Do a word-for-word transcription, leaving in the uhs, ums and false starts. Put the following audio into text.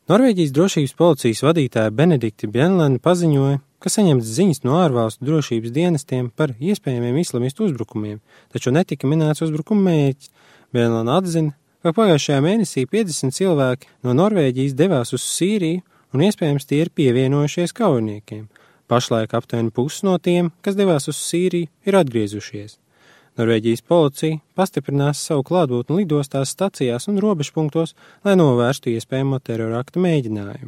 Norvēģijas drošības policijas vadītāja Benedikta Bjenlana paziņoja, ka saņemts ziņas no ārvalstu drošības dienestiem par iespējamiem islamistu uzbrukumiem, taču netika minēts uzbrukuma mērķis. Bjenlana atzina, ka pagājušajā mēnesī piecdesmit cilvēki no Norvēģijas devās uz Sīriju un iespējams tie ir pievienojušies kaujiniekiem. Pašlaik aptuveni pusi no tiem, kas devās uz Sīriju, ir atgriezušies. Norvēģijas policija pastiprinās savu klātbūtni lidostās, stacijās un robežpunktos, lai novērstu iespējamo terorakta mēģinājumu.